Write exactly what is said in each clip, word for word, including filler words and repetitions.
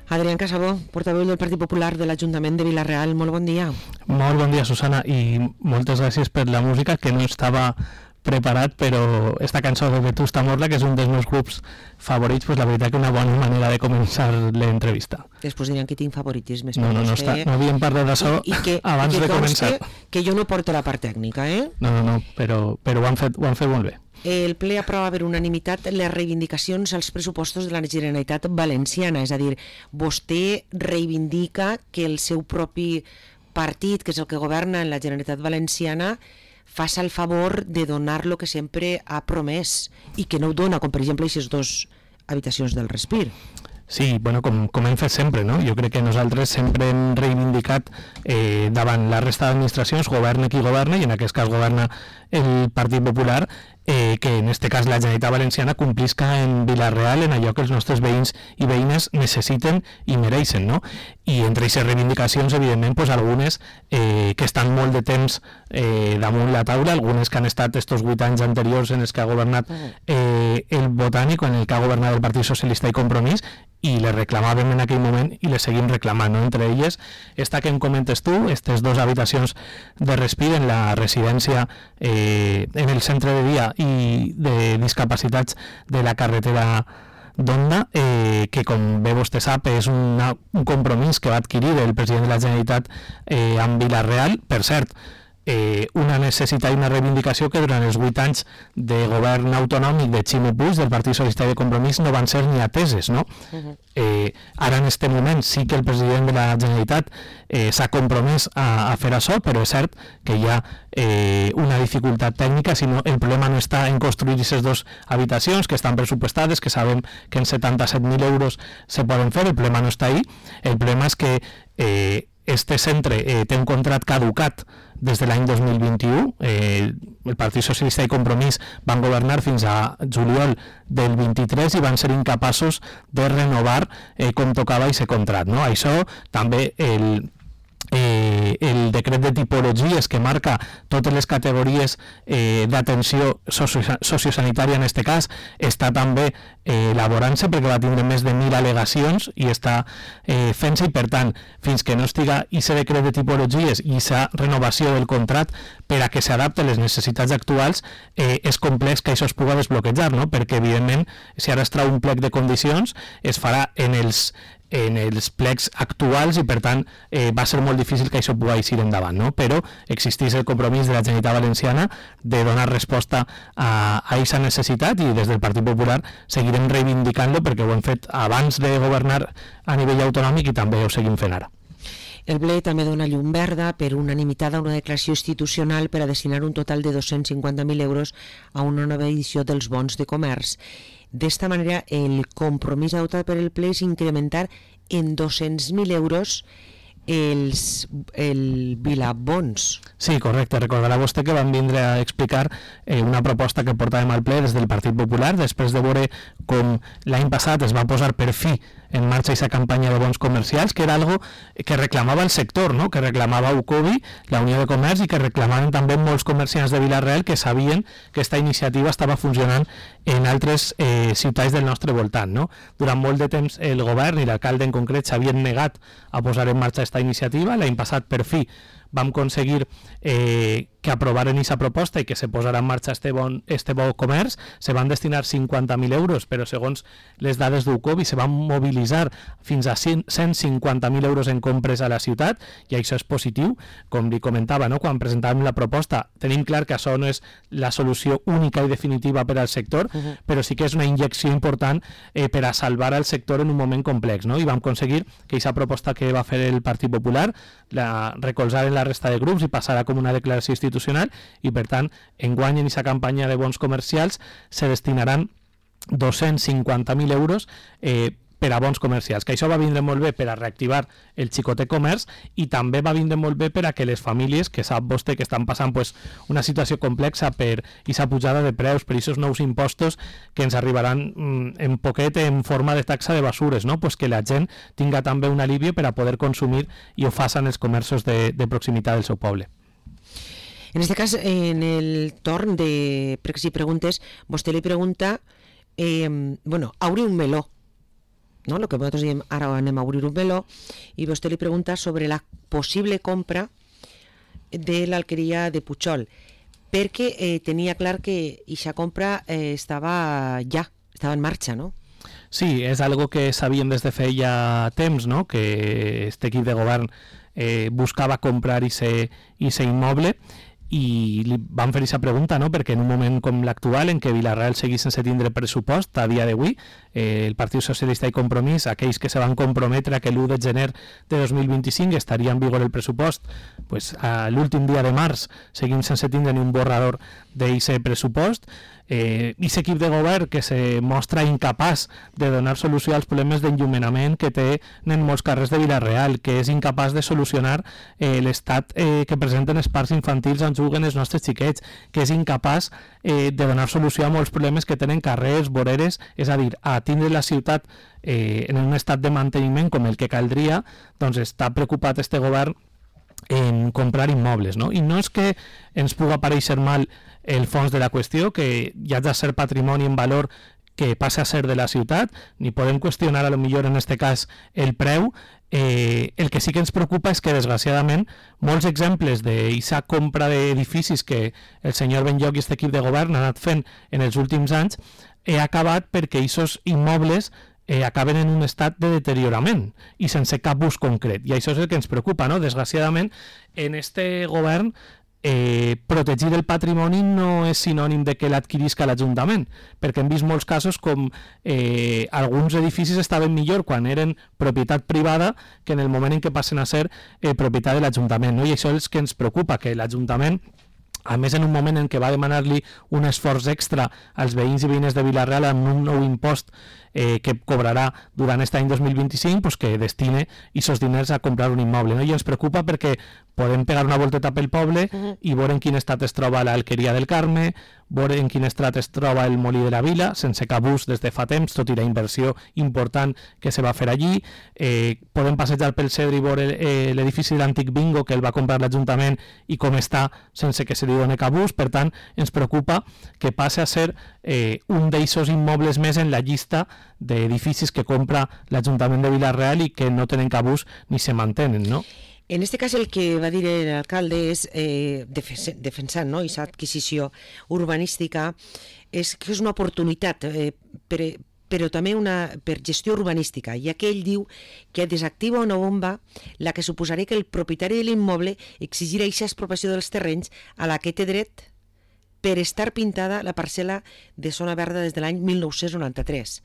Adrián Casabó, portaveu del Partit Popular de l'Ajuntament de Vila-real, molt bon dia. Molt bon dia, Susana, i moltes gràcies per la música, que no estava preparat, però esta cançó de Vetusta Morla, que és un dels meus grups favorits, pues la veritat que una bona manera de començar l'entrevista. Després diran que tinc favoritismes. No, no, no, està, no havíem parlat d'això abans i que de començar. Que jo no porto la part tècnica, eh? No, no, no, però, però ho, han fet, ho han fet molt bé. El ple aprova per unanimitat les reivindicacions als pressupostos de la Generalitat Valenciana, és a dir, vostè reivindica que el seu propi partit, que és el que governa en la Generalitat Valenciana, faça el favor de donar lo que sempre ha promès i que no ho dona, com per exemple aquestes dues habitacions del Respir. Sí, bueno, com, com hem fet sempre, no? Jo crec que nosaltres sempre hem reivindicat eh, davant la resta d'administracions, governa qui governa, i en aquest cas governa el Partit Popular, eh, que en este cas la Generalitat Valenciana complisca en Vila-real en allò que els nostres veïns i veïnes necessiten i mereixen, no? I entre aquestes reivindicacions, evidentment, pues, algunes eh, que estan molt de temps eh, damunt la taula, algunes que han estat estos vuit anys anteriors en els que ha governat eh, el Botànic o en el que ha governat el Partit Socialista i Compromís, i les reclamàvem en aquell moment i les seguim reclamant, no? Entre elles, esta que em comentes tu, aquestes dues habitacions de Respir en la residència eh, en el centre de dia i de discapacitats de la carretera d'Onda, eh, que com bé vostè sap és una, un compromís que va adquirir el president de la Generalitat eh, amb Vila-real, per cert, Eh, una necessitat i una reivindicació que durant els vuit anys de govern autonòmic de Ximo Puig, del Partit Socialista i de Compromís, no van ser ni ateses, no? Uh-huh. eh, ara en este moment sí que el president de la Generalitat eh, s'ha compromès a, a fer això, però és cert que hi ha eh, una dificultat tècnica, sinó el problema no està en construir aquestes dues habitacions que estan pressupostades, que sabem que en setanta-set mil euros se poden fer, el problema no està ahí, el problema és que eh, este centre eh, té un contrat caducat des de l'any dos mil vint-i-u, eh, el Partit Socialista i Compromís van governar fins a juliol del vint-i-tres i van ser incapaços de renovar eh, com tocava aquest contrat, no? Això també el... Eh, el decret de tipologies que marca totes les categories eh, d'atenció socio sociosanitària en este cas està també eh, elaborant-se perquè va tindre més de mil al·legacions i està eh, fent-se, i per tant fins que no estiga aquest decret de tipologies i aquesta renovació del contrat per a que s'adapte a les necessitats actuals, eh, és complex que això es pugui desbloquejar, no? Perquè evidentment si ara es trau un plec de condicions es farà en els en els plecs actuals i per tant eh, va ser molt difícil que això pugui eixir endavant, no? Però existeix el compromís de la Generalitat Valenciana de donar resposta a aquesta necessitat i des del Partit Popular seguirem reivindicant-lo perquè ho hem fet abans de governar a nivell autonòmic i també ho seguim fent ara. El ple també dona llum verda per unanimitat a una declaració institucional per a destinar un total de dos-cents cinquanta mil euros a una nova edició dels bons de comerç. D'esta manera, el compromís adoptat per el ple és incrementar en dos-cents mil euros els, el Vilabons. Sí, correcte. Recordarà vostè que vam vindre a explicar eh, una proposta que portàvem al ple des del Partit Popular, després de veure com l'any passat es va posar per fi en marxa aquesta campanya de bons comercials, que era algo que reclamava el sector, no? Que reclamava U C O B I, la Unió de Comerç, i que reclamaven també molts comerciants de Vila-real que sabien que aquesta iniciativa estava funcionant en altres eh, ciutats del nostre voltant, no? Durant molt de temps el govern i l'alcalde en concret s'havien negat a posar en marxa aquesta iniciativa. L'any passat per fi vam aconseguir eh, que aprovaren aquesta proposta i que se posarà en marxa este bon, este bon comerç. Se van destinar cinquanta mil euros, però segons les dades d'U C O B I se van mobilitzar fins a cent cinquanta mil euros en compres a la ciutat, i això és positiu. Com li comentava, no? Quan presentàvem la proposta tenim clar que això no és la solució única i definitiva per al sector, uh-huh. però sí que és una injecció important eh, per a salvar el sector en un moment complex, no? I vam aconseguir que aquesta proposta que va fer el Partit Popular la recolzar en la resta de grups i passarà com una declaració institucional, i per tant enguany en aquesta campanya de bons comercials se destinaran dos-cents cinquanta mil euros eh, per a bons comercials, que això va vindre molt bé per a reactivar el xicotet comerç i també va vindre molt bé per a que les famílies, que sap vostè que estan passant pues, una situació complexa per aquesta pujada de preus, per aquests nous impostos que ens arribaran mm, en poquet en forma de taxa de basures, no? Pues que la gent tinga també un alivio per a poder consumir i ho facin els comerços de, de proximitat del seu poble. En este cas, en el torn de pregs i preguntes, vostè li pregunta, eh, bueno, abre un meló. no? El que nosaltres diem, ara anem a obrir un meló, i vostè li pregunta sobre la possible compra de l'alqueria de Pujol, perquè eh, tenia clar que aquesta compra eh, estava ja, estava en marxa, no? Sí, és algo que sabíem des de feia temps, no? Que este equip de govern eh, buscava comprar i ser, i ser immoble, i li van fer aquesta pregunta, no? Perquè en un moment com l'actual, en què Vila-real seguís sense tindre pressupost, a dia d'avui, eh, el Partit Socialista i Compromís, aquells que se van comprometre a que l'u de gener de dos mil vint-i-cinc estaria en vigor el pressupost, pues, a l'últim dia de març seguim sense tindre ni un borrador d'aquest pressupost. Eh, i aquest equip de govern que se mostra incapaç de donar solució als problemes d'enllumenament que té en molts carrers de Vila-real, que és incapaç de solucionar eh, l'estat eh, que presenten els parcs infantils on juguen els nostres xiquets, que és incapaç eh, de donar solució a molts problemes que tenen carrers, voreres, és a dir, a tindre la ciutat eh, en un estat de manteniment com el que caldria, doncs està preocupat este govern en comprar immobles, no? I no és que ens puga aparèixer mal el fons de la qüestió, que ja ha de ser patrimoni en valor que passa a ser de la ciutat, ni podem qüestionar a lo millor en este cas el preu. Eh, el que sí que ens preocupa és que desgraciadament molts exemples d'aquesta compra d'edificis que el senyor Benlloch i aquest equip de govern han anat fent en els últims anys he acabat perquè aquests immobles Eh, acaben en un estat de deteriorament i sense cap ús concret, i això és el que ens preocupa, no? Desgraciadament, en este govern eh, protegir el patrimoni no és sinònim de que l'adquirisca l'Ajuntament, perquè hem vist molts casos com eh, alguns edificis estaven millor quan eren propietat privada que en el moment en què passen a ser eh, propietat de l'Ajuntament, no? I això és el que ens preocupa, que l'Ajuntament, a més en un moment en què va demanar-li un esforç extra als veïns i veïnes de Vila-real amb un nou impost eh, que cobrarà durant aquest any dos mil vint-i-cinc, pues que destine aquests diners a comprar un immoble, no? I ens preocupa perquè podem pegar una volteta pel poble uh-huh. i veure en quin estat es troba l'Alqueria del Carme, veure en quin estat es troba el Molí de la Vila, sense cap ús des de fa temps, tot i la inversió important que se va fer allí. Eh, podem passejar pel Cedre i veure eh, l'edifici de l'antic Bingo que el va comprar l'Ajuntament i com està sense que se li doni cap ús. Per tant, ens preocupa que passe a ser eh, un d'eixos immobles més en la llista d'edificis que compra l'Ajuntament de Vila-real i que no tenen cap ús ni se mantenen, no? En este cas el que va dir l'alcalde és eh, defensant, no? Aquesta adquisició urbanística és que és una oportunitat eh, per, però també una, per gestió urbanística, ja que ell diu que desactiva una bomba la que suposaria que el propietari de l'immoble exigirà aquesta expropiació dels terrenys a la que té dret per estar pintada la parcel·la de zona verda des de l'any mil nou-cents noranta-tres.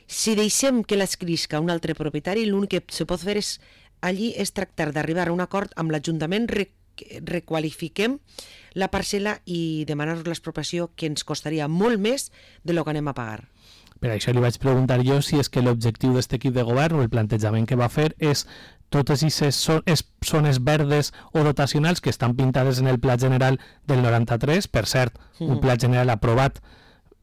Si deixem que l'adquirisca un altre propietari, l'únic que se pot fer és allí és tractar d'arribar a un acord amb l'Ajuntament, re requalifiquem la parcel·la i demanar-nos l'expropiació, que ens costaria molt més de lo que anem a pagar. Per això li vaig preguntar jo si és que l'objectiu d'aquest equip de govern o el plantejament que va fer és totes aquestes zones verdes o dotacionals que estan pintades en el Pla General del noranta-tres, per cert, mm. un Pla General aprovat,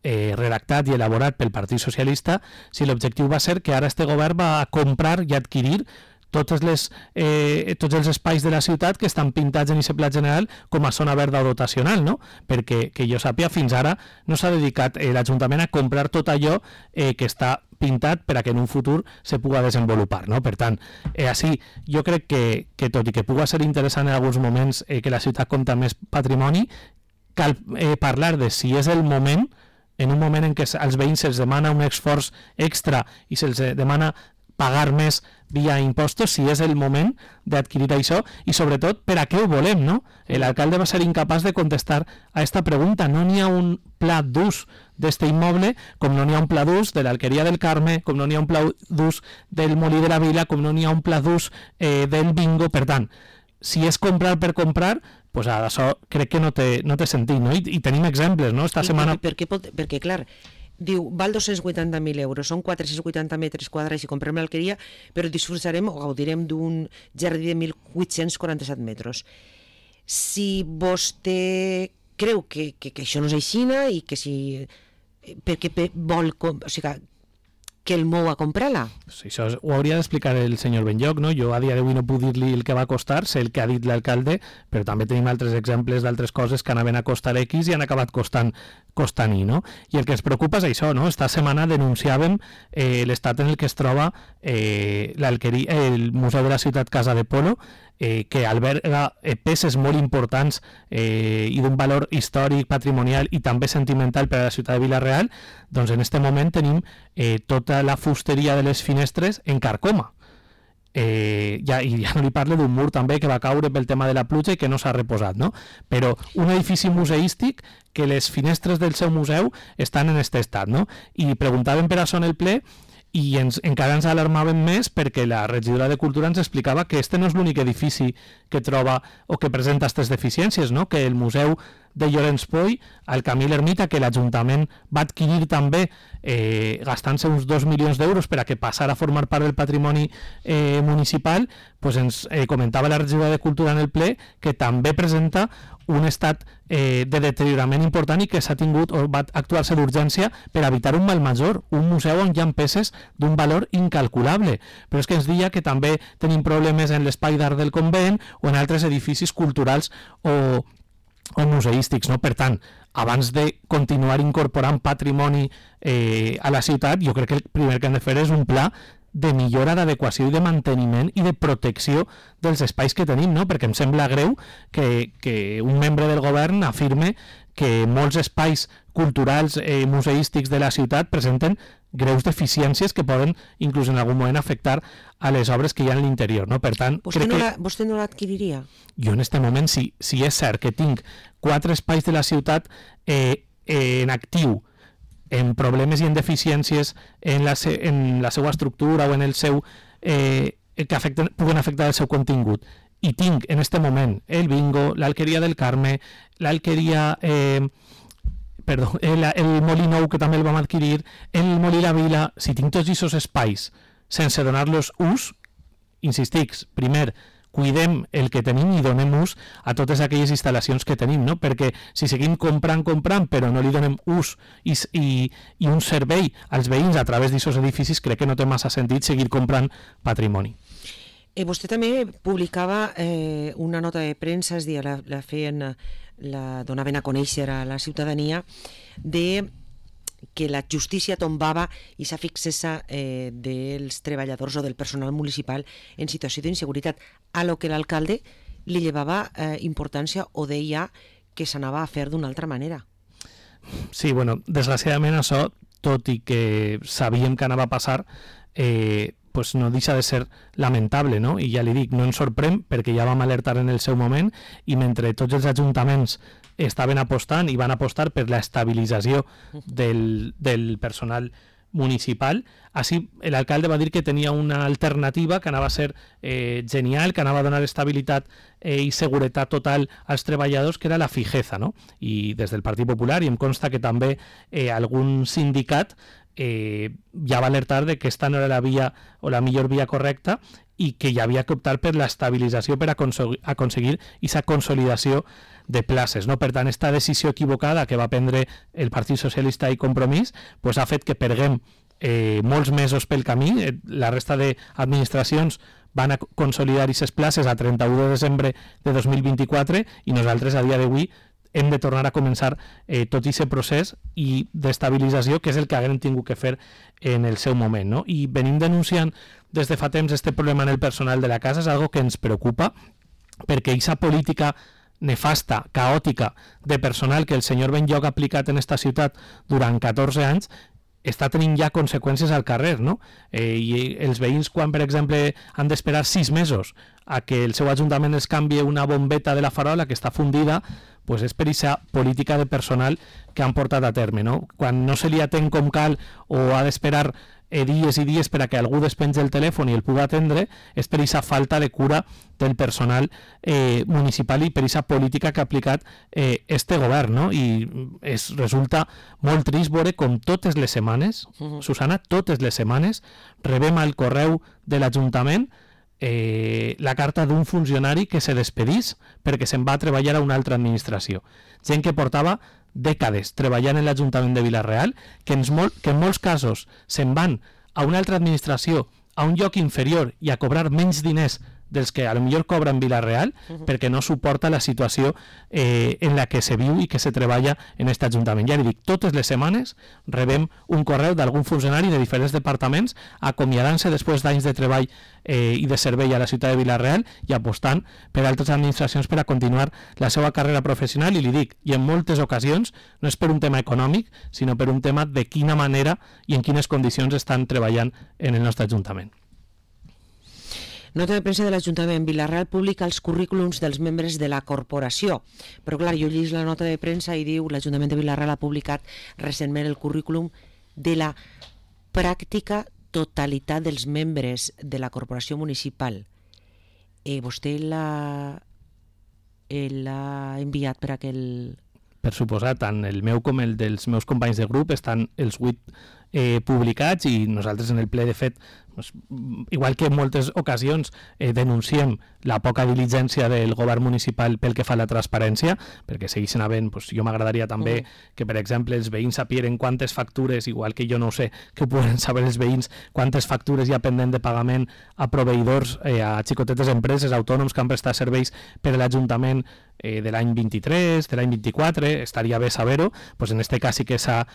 eh, redactat i elaborat pel Partit Socialista, si l'objectiu va ser que ara este govern va comprar i adquirir totes les, eh, tots els espais de la ciutat que estan pintats en aquest Pla General com a zona verda o dotacional, no? Perquè, que jo sàpiga, fins ara no s'ha dedicat eh, l'Ajuntament a comprar tot allò eh, que està pintat per a que en un futur se puga desenvolupar, no? Per tant, eh, així, jo crec que, que tot i que puga ser interessant en alguns moments eh, que la ciutat compta més patrimoni, cal eh, parlar de si és el moment, en un moment en què als veïns se'ls demana un esforç extra i se'ls demana pagar més via impostos, si és el moment d'adquirir això i sobretot per a què ho volem, no? L'alcalde va ser incapaç de contestar a aquesta pregunta. No n'hi ha un pla d'ús d'este immoble, com no n'hi ha un pla d'ús de l'Alqueria del Carme, com no n'hi ha un pla d'ús del Molí de la Vila, com no n'hi ha un pla d'ús eh, del Bingo. Per tant, si és comprar per comprar, pues això crec que no té, no té sentit, no? I, i tenim exemples, no? Esta I setmana... Per, per, per, perquè, clar, diu, val dos-cents vuitanta mil euros, són quatre-cents vuitanta metres quadrats si comprem l'alqueria, però disfrutarem o gaudirem d'un jardí de mil vuit-cents quaranta-set metres. Si vostè creu que, que, que això no és així i que si... perquè vol... O sigui, que el mou a comprar-la. Sí, això ho hauria d'explicar el senyor Benlloc, no? Jo a dia d'avui no puc dir-li el que va costar, sé el que ha dit l'alcalde, però també tenim altres exemples d'altres coses que anaven a costar X i han acabat costant costant Y, no? I el que ens preocupa és això, no? Esta setmana denunciàvem eh, l'estat en el que es troba eh, el Museu de la Ciutat Casa de Polo, eh, que alberga eh, peces molt importants eh, i d'un valor històric, patrimonial i també sentimental per a la ciutat de Vila-real. Doncs en aquest moment tenim eh, tota la fusteria de les finestres en carcoma. Eh, ja, i ja no li parlo d'un mur també que va caure pel tema de la pluja i que no s'ha reposat, no? Però un edifici museístic que les finestres del seu museu estan en aquest estat, no? I preguntàvem per això en el ple i ens, encara ens alarmàvem més perquè la regidora de Cultura ens explicava que este no és l'únic edifici que troba o que presenta aquestes deficiències, no? Que el museu de Llorenç Poy, al Camí l'Ermita, que l'Ajuntament va adquirir també eh, gastant-se uns dos milions d'euros per a que passara a formar part del patrimoni eh, municipal, pues ens eh, comentava la regidora de Cultura en el ple que també presenta un estat eh, de deteriorament important i que s'ha tingut o va actuar-se d'urgència per evitar un mal major, un museu on hi ha peces d'un valor incalculable. Però és que ens deia que també tenim problemes en l'espai d'art del convent o en altres edificis culturals o, o museístics, no? Per tant, abans de continuar incorporant patrimoni eh, a la ciutat, jo crec que el primer que hem de fer és un pla de millora, d'adequació i de manteniment i de protecció dels espais que tenim, no? Perquè em sembla greu que, que un membre del govern afirme que molts espais culturals i eh, museístics de la ciutat presenten greus deficiències que poden inclús en algun moment afectar a les obres que hi ha en l'interior, no? Per tant, vostè crec no que... la, vostè no l'adquiriria? Jo en aquest moment, si, si és cert que tinc quatre espais de la ciutat eh, eh, en actiu, en problemes i en deficiències en la, se, en la seva estructura o en el seu eh, que afecten, puguen afectar el seu contingut, i tinc en aquest moment el bingo, l'Alqueria del Carme, l'Alqueria eh, perdó, el, el Molí Nou, que també el vam adquirir, el Molí La Vila, si tinc tots aquests espais sense donar-los ús, insistic, primer, cuidem el que tenim i donem ús a totes aquelles instal·lacions que tenim, no? Perquè si seguim comprant, comprant, però no li donem ús i, i, i un servei als veïns a través d'aquests edificis, crec que no té massa sentit seguir comprant patrimoni. Eh, vostè també publicava eh, una nota de premsa, és a dir, la, la feien, la donaven a conèixer a la ciutadania, de que la justícia tombava i sa fixesa eh, dels treballadors o del personal municipal en situació d'inseguretat, a lo que l'alcalde li llevava eh, importància o deia que s'anava a fer d'una altra manera. Sí, bueno, desgraciadament això, tot i que sabíem que anava a passar, eh, pues no deixa de ser lamentable, no? I ja li dic, no ens sorprèn perquè ja vam alertar en el seu moment i mentre tots els ajuntaments estaven apostant i van apostar per la estabilització del, del personal municipal, així l'alcalde va dir que tenia una alternativa que anava a ser eh, genial, que anava a donar estabilitat eh, i seguretat total als treballadors, que era la fijeza, no? I des del Partit Popular, i em consta que també eh, algun sindicat eh, ja va alertar de que esta no era la via o la millor via correcta i que hi havia que optar per l'estabilització per aconseguir, aconseguir aquesta consolidació de places, no? Per tant, esta decisió equivocada que va prendre el Partit Socialista i Compromís pues, ha fet que perguem eh, molts mesos pel camí. Eh, la resta d'administracions van a consolidar aquestes places a trenta-u de desembre de dos mil vint-i-quatre i nosaltres a dia d'avui hem de tornar a començar eh, tot aquest procés i d'estabilització, que és el que haguem tingut que fer en el seu moment, no? I venim denunciant des de fa temps este problema en el personal de la casa, és algo que ens preocupa, perquè aquesta política nefasta, caòtica de personal que el senyor Benlloc ha aplicat en esta ciutat durant catorze anys està tenint ja conseqüències al carrer, no? Eh, I els veïns, quan, per exemple, han d'esperar sis mesos a que el seu ajuntament els canvie una bombeta de la farola que està fundida, pues és per aquesta política de personal que han portat a terme, no? Quan no se li atén com cal o ha d'esperar eh, dies i dies per a que algú despengi el telèfon i el pugui atendre, és per aquesta falta de cura del personal eh, municipal i per aquesta política que ha aplicat eh, este govern, no? I es resulta molt trist veure com totes les setmanes, uh-huh. Susana, totes les setmanes rebem al correu de l'Ajuntament Eh, la carta d'un funcionari que se despedís perquè se'n va a treballar a una altra administració. Gent que portava dècades treballant en l'Ajuntament de Vila-real, que en, molt, que en molts casos se'n van a una altra administració, a un lloc inferior i a cobrar menys diners dels que a lo millor cobren Vila-real, uh-huh. perquè no suporta la situació eh, en la que se viu i que se treballa en aquest Ajuntament. Ja li dic, totes les setmanes rebem un correu d'algun funcionari de diferents departaments acomiadant-se després d'anys de treball eh, i de servei a la ciutat de Vila-real i apostant per altres administracions per a continuar la seva carrera professional, i li dic, i en moltes ocasions no és per un tema econòmic, sinó per un tema de quina manera i en quines condicions estan treballant en el nostre Ajuntament. Nota de premsa de l'Ajuntament. Vila-real publica els currículums dels membres de la corporació. Però clar, jo llegeix la nota de premsa i diu l'Ajuntament de Vila-real ha publicat recentment el currículum de la pràctica totalitat dels membres de la corporació municipal. Eh, vostè l'ha l'ha enviat per aquell... Per suposat, tant el meu com el dels meus companys de grup estan els vuit eh, publicats, i nosaltres en el ple, de fet, doncs, igual que en moltes ocasions eh, denunciem la poca diligència del govern municipal pel que fa a la transparència, perquè segueixen havent, doncs, jo m'agradaria també mm. que, per exemple, els veïns sapien quantes factures, igual que jo no ho sé, que ho poden saber els veïns, quantes factures hi ha pendent de pagament a proveïdors, eh, a xicotetes empreses, autònoms que han prestat serveis per a l'Ajuntament eh, de l'any vint-i-tres, de l'any vint-i-quatre, estaria bé saber-ho. Doncs en aquest cas sí que s'ha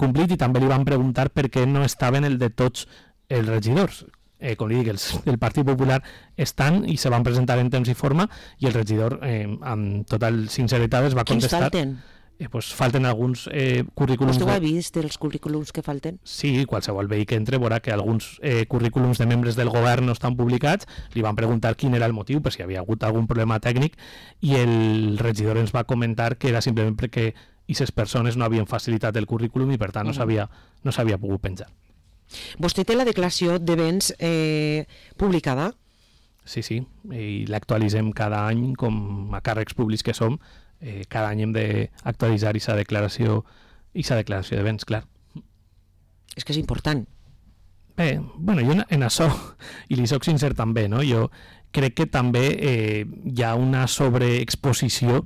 complit, i també li van preguntar per què no estaven el de tots els regidors. Eh, com li dic, els del Partit Popular estan i se van presentar en temps i forma, i el regidor, eh, amb total sinceritat, es va contestar... Quins falten? Eh, pues, falten alguns eh, currículums... Vostè ho ha vist, els currículums que falten? Sí, qualsevol veí que entre veurà que alguns eh, currículums de membres del govern no estan publicats. Li van preguntar quin era el motiu, per si havia hagut algun problema tècnic, i el regidor ens va comentar que era simplement perquè aquestes persones no havien facilitat el currículum i per tant no s'havia no s'havia pogut penjar. Vostè té la declaració de béns eh, publicada? Sí, sí, i l'actualitzem cada any, com a càrrecs públics que som, eh, cada any hem d'actualitzar aquesta declaració, aquesta declaració de béns, clar. És que és important. Bé, bueno, jo en això, i li soc sincer també, no? Jo crec que també eh, hi ha una sobreexposició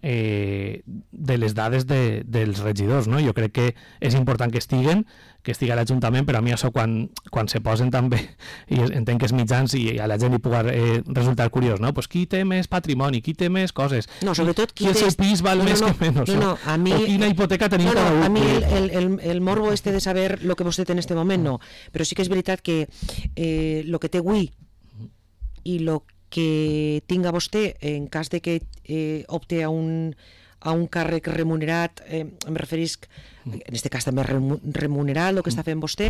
eh, de les dades de, dels regidors, no? Jo crec que és important que estiguen, que estigui a l'Ajuntament, però a mi això quan, quan se posen també, i entenc que els mitjans i a la gent li pugui eh, resultar curiós, no? Pues qui té més patrimoni, qui té més coses, no, sobretot qui, qui el seu pis val no, més no, que menys, no, no, a mi... o quina hipoteca tenim no, no, cada un. A mi el, el, el, el morbo este de saber lo que vostè té en este moment no, però sí que és veritat que eh, lo que té avui i lo que tinga vostè en cas de que eh, opte a un, a un càrrec remunerat, eh, em referisc, en aquest cas també remunerat, el que està fent vostè,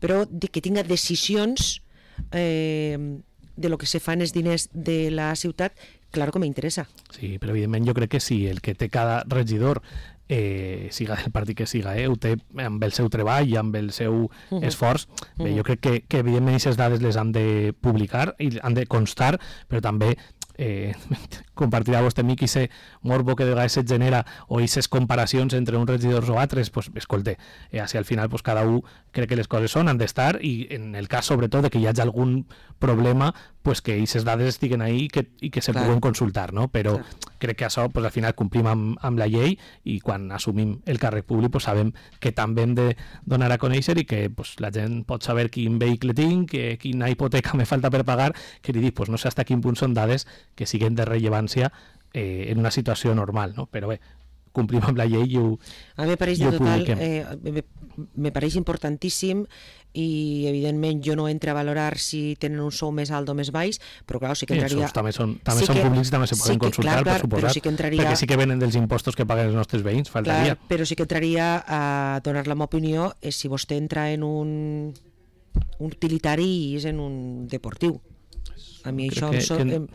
però de que tinga decisions eh, de lo que se fa en els diners de la ciutat, claro que m'interessa. Sí, però evidentment jo crec que sí, el que té cada regidor, eh, siga del partit que siga, eh, ho té amb el seu treball i amb el seu uh-huh. esforç. Bé, uh-huh. Jo crec que, que evidentment aquestes dades les han de publicar i han de constar, però també eh, compartirà vostè amb mi que aquest morbo que de vegades es genera o aquestes comparacions entre uns regidors o altres, pues, escolte, eh, si al final pues, cada un crec que les coses són, han d'estar, i en el cas sobretot de que hi hagi algun problema, pues, que aquestes dades estiguen ahí i que, i que se Clar. puguen consultar, no? Però Clar. crec que això pues, al final complim amb, amb la llei, i quan assumim el càrrec públic pues, sabem que també hem de donar a conèixer i que pues, la gent pot saber quin vehicle tinc, que, quina hipoteca me falta per pagar, que li dic, pues, no sé fins a quin punt són dades que siguen de rellevància eh, en una situació normal, no? Però bé, complim amb la llei i ho, a mi me pareix i ho de total, publiquem. Eh, me, me pareix importantíssim, i evidentment jo no entro a valorar si tenen un sou més alt o més baix, però clar, sí que entraria... Els sous també són, també sí són que, públics, també se poden sí que, consultar, clar, clar, per suposat, sí que entraria, perquè sí que venen dels impostos que paguen els nostres veïns, faltaria. Clar, però sí que entraria a donar la meva opinió eh, si vostè entra en un, un utilitari i és en un deportiu. A mi Crec això que, em, so, que em,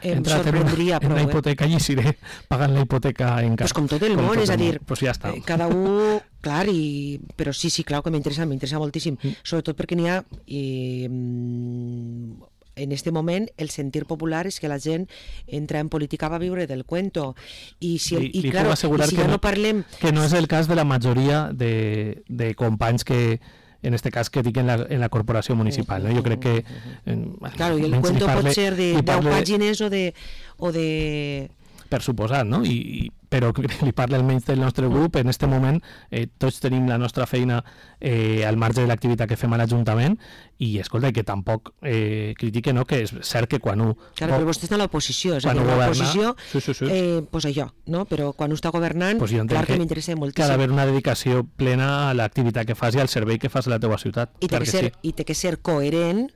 em sorprendria en prou. la Eh? hipoteca i seré pagant la hipoteca en Pues com tot el món, és a dir, pues ja està. cada un, clar, i, però sí, sí, clar que m'interessa, m'interessa moltíssim, mm. sobretot perquè n'hi ha, i, en este moment, el sentir popular és que la gent entra en política va viure del cuento, i si, li, i, li claro, puc assegurar i si que ja no, no parlem... que no és el cas de la majoria de, de companys que en este cas que dic en la, en la corporació municipal, no? Jo crec que... Eh, claro, i el cuento parle, pot ser de deu pàgines o de... O de per suposat, no? I, i, però li parla almenys del nostre grup, en aquest moment eh, tots tenim la nostra feina eh, al marge de l'activitat que fem a l'Ajuntament i, escolta, que tampoc eh, critique, no?, que és cert que quan ho... Clar, però vostè està a l'oposició, és a dir, l'oposició, sí, sí, sí. eh, pues allò, no? Però quan ho està governant, pues clar que, que m'interessa moltíssim. Que ha d'haver una dedicació plena a l'activitat que fas i al servei que fas a la teva ciutat. I té, que, ser, sí. i té que ser coherent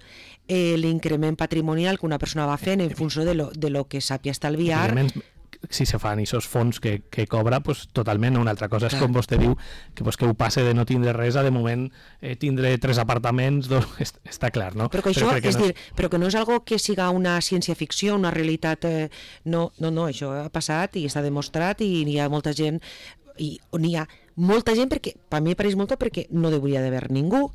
eh, l'increment patrimonial que una persona va fent en funció de lo, de lo que sàpia estalviar. Si se fan aquests fons que, que cobra, pues, totalment. Una altra cosa és, clar, com vostè diu, que, pues, que ho passe de no tindre res a de moment eh, tindre tres apartaments, dos, est està clar, no? Però que això, però és no dir, és... però que no és algo que siga una ciència-ficció, una realitat... Eh, no, no, no, això ha passat i està demostrat i hi ha molta gent, i n'hi ha molta gent perquè, per mi pareix molt, perquè no hauria d'haver ningú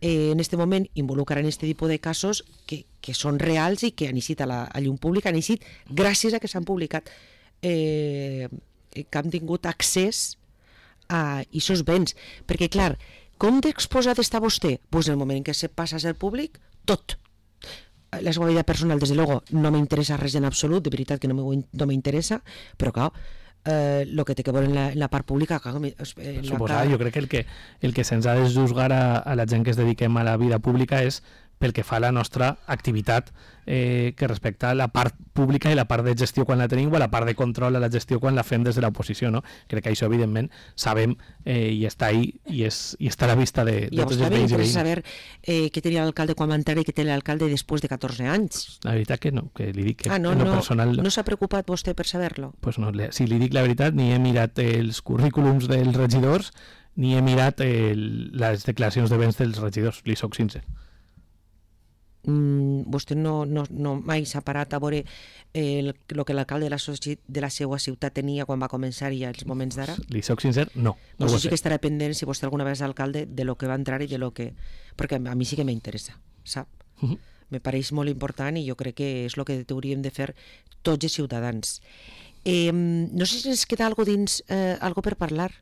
eh, en aquest moment involucrar en aquest tipus de casos que, que són reals i que han eixit a la a llum pública, han eixit gràcies a que s'han publicat Eh, que han tingut accés a aquests béns, perquè clar, com d'exposat està vostè? Pues en el moment en què se passa a ser públic, tot. La seva vida personal, des de luego, no m'interessa res en absolut, de veritat que no m'interessa, però clar, eh, el que té que veure en la, en la part pública... Clar, eh, suposar, cara... jo crec que el que, el que se'ns ha de juzgar a, a la gent que es dediquem a la vida pública és pel que fa a la nostra activitat eh, que respecta a la part pública i la part de gestió quan la tenim o la part de control a la gestió quan la fem des de l'oposició, no? Crec que això, evidentment, sabem eh, i està ahí i, és, i està a la vista de, de tots els veïns i veïns. Saber eh, què tenia l'alcalde quan va entrar i què té l'alcalde després de catorze anys. La veritat que no, que li dic que ah, no, en lo no, personal... No s'ha preocupat vostè per saber-lo? Pues no, si li dic la veritat, ni he mirat els currículums dels regidors ni he mirat el, les declaracions de béns dels regidors, li soc sincer. Mm, vostè no, no, no mai s'ha parat a veure el, el que l'alcalde de, la de la seva ciutat tenia quan va començar i als moments d'ara? Li soc sincer, no. no doncs sí que estarà pendent, si vostè alguna vegada és alcalde, de lo que va entrar i de lo que... Perquè a mi sí que m'interessa, sap? Uh -huh. Me pareix molt important i jo crec que és el que hauríem de fer tots els ciutadans. Eh, no sé si ens queda algo dins, eh, algo per parlar.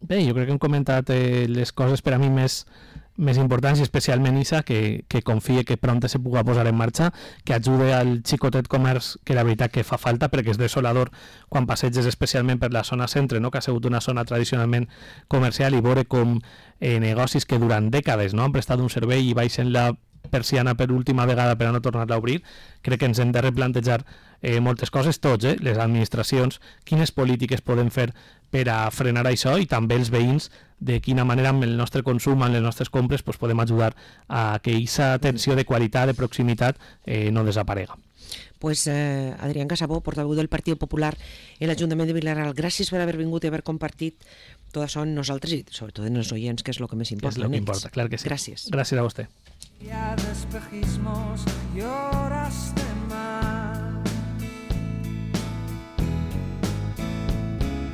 Bé, jo crec que hem comentat eh, les coses per a mi més... més importants i especialment Isa, que, que confie que prompte se puga posar en marxa, que ajude al xicotet comerç, que la veritat que fa falta perquè és desolador quan passeges especialment per la zona centre, no? Que ha sigut una zona tradicionalment comercial, i veure com eh, negocis que durant dècades no han prestat un servei i baixen la persiana per última vegada per a no tornar-la a obrir. Crec que ens hem de replantejar eh, moltes coses, tots, eh? Les administracions, quines polítiques podem fer per a frenar això, i també els veïns, de quina manera amb el nostre consum, amb les nostres compres, pues, podem ajudar a que aquesta atenció de qualitat, de proximitat, eh, no desaparega. Pues eh, Adrián Casabó, portaveu del Partit Popular en l'Ajuntament de Vilareal, gràcies per haver vingut i haver compartit tot això amb nosaltres i sobretot en els oients, que és el que més importa. És el que importa, clar que sí. Gràcies. Gràcies a vostè. Ya de espejismos lloraste.